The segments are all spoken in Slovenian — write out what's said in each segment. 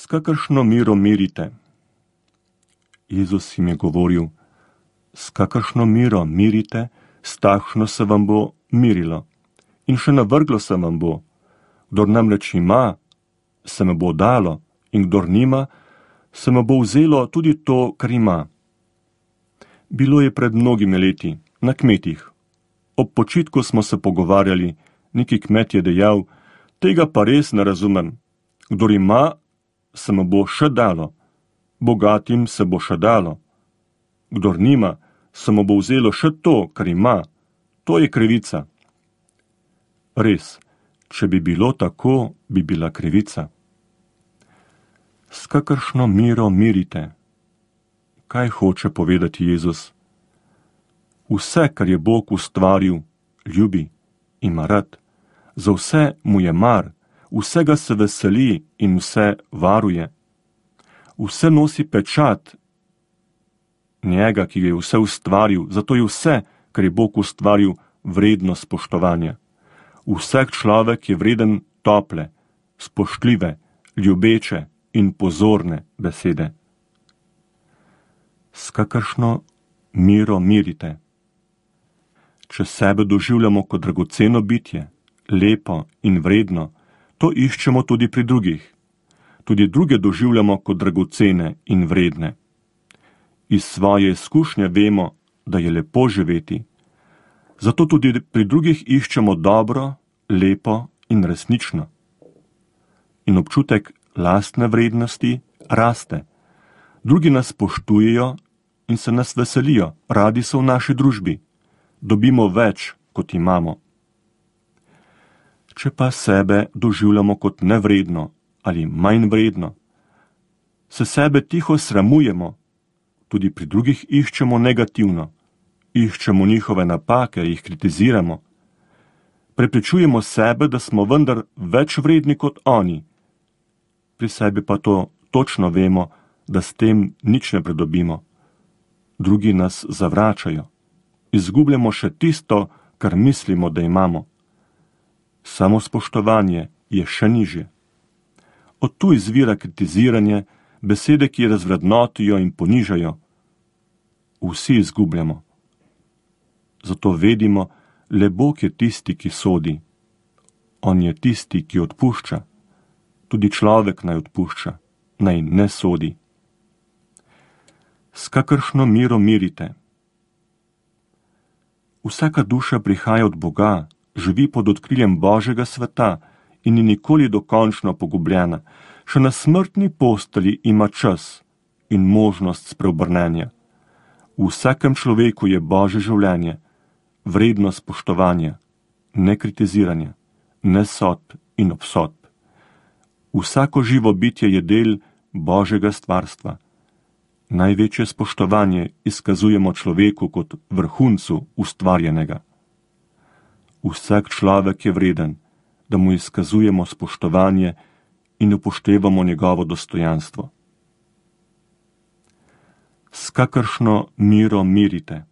S kakršno mero merite? Jezus jim je govoril, s kakršno mero merite, s takšno se vam bo merilo. In še navrglo se vam bo. Kdor namreč ima, se mu bo dalo, in kdor nima, se mu bo vzelo tudi to, kar ima. Bilo je pred mnogimi leti, na kmetih. Ob počitku smo se pogovarjali, neki kmet je dejal, tega pa res ne razumem. Kdor ima, se mu bo še dalo, bogatim se bo še dalo. Kdor nima, se mu bo vzelo še to, kar ima. To je krivica. Res, če bi bilo tako, bi bila krivica. S kakršno mero merite? Kaj hoče povedati Jezus? Vse, kar je Bog ustvaril, ljubi, ima rad. Za vse mu je mar, vsega se veseli in vse varuje. Vse nosi pečat njega, ki je vse ustvaril, zato je vse, kar je Bog ustvaril, vredno spoštovanja. Vsak človek je vreden tople, spoštljive, ljubeče in pozorne besede. S kakršno mero merite? Če sebe doživljamo kot dragoceno bitje, lepo in vredno, to iščemo tudi pri drugih. Tudi druge doživljamo kot dragocene in vredne. Iz svoje izkušnje vemo, da je lepo živeti. Zato tudi pri drugih iščemo dobro, lepo in resnično. In občutek lastne vrednosti raste. Drugi nas spoštujejo in se nas veselijo, radi so v naši družbi. Dobimo več, kot imamo. Če pa sebe doživljamo kot nevredno ali manj vredno, se sebe tiho sramujemo, tudi pri drugih iščemo negativno, iščemo njihove napake, jih kritiziramo. Prepričujemo sebe, da smo vendar več vredni kot oni. Pri sebi pa to točno vemo, da s tem nič ne pridobimo. Drugi nas zavračajo. Izgubljamo še tisto, kar mislimo, da imamo. Samospoštovanje je še nižje. Od tu izvira kritiziranje, besede, ki razvrednotijo in ponižajo. Vsi izgubljamo. Zato vedimo, le Bog je tisti, ki sodi. On je tisti, ki odpušča. Tudi človek naj odpušča, naj ne sodi. S kakršno mero merite? Vsaka duša prihaja od Boga, živi pod odkriljem Božjega sveta in ni nikoli dokončno pogubljena. Še na smrtni postelji ima čas in možnost spreobrnenja. V vsakem človeku je Božje življenje, vredno spoštovanja, ne kritiziranja, ne sodb in obsodb. Vsako živo bitje je del Božjega stvarstva. Največje spoštovanje izkazujemo človeku kot vrhuncu ustvarjenega. Vsak človek je vreden, da mu izkazujemo spoštovanje in upoštevamo njegovo dostojanstvo. S kakršno mero merite?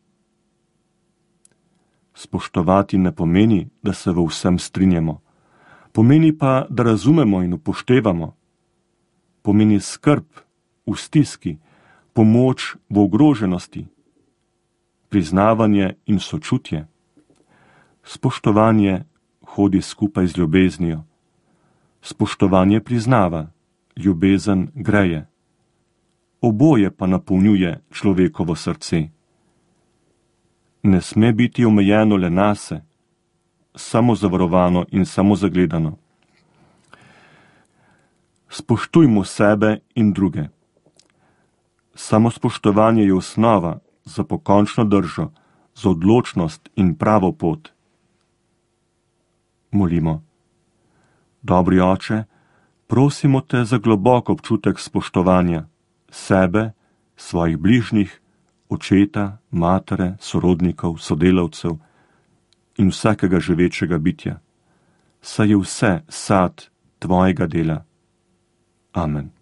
Spoštovati ne pomeni, da se v vsem strinjamo. Pomeni pa, da razumemo in upoštevamo. Pomeni skrb v stiski, pomoč v ogroženosti, priznavanje in sočutje. Spoštovanje hodi skupaj z ljubeznijo. Spoštovanje priznava, ljubezen greje. Oboje pa napolnjuje človekovo srce. Ne sme biti omejeno le nase, samozavarovano in samozagledano. Spoštujmo sebe in druge. Samospoštovanje je osnova za pokončno držo, za odločnost in pravo pot. Molimo. Dobri Oče, prosimo te za globok občutek spoštovanja sebe, svojih bližnjih, očeta, matere, sorodnikov, sodelavcev in vsakega živečega bitja. Saj je vse sad tvojega dela. Amen.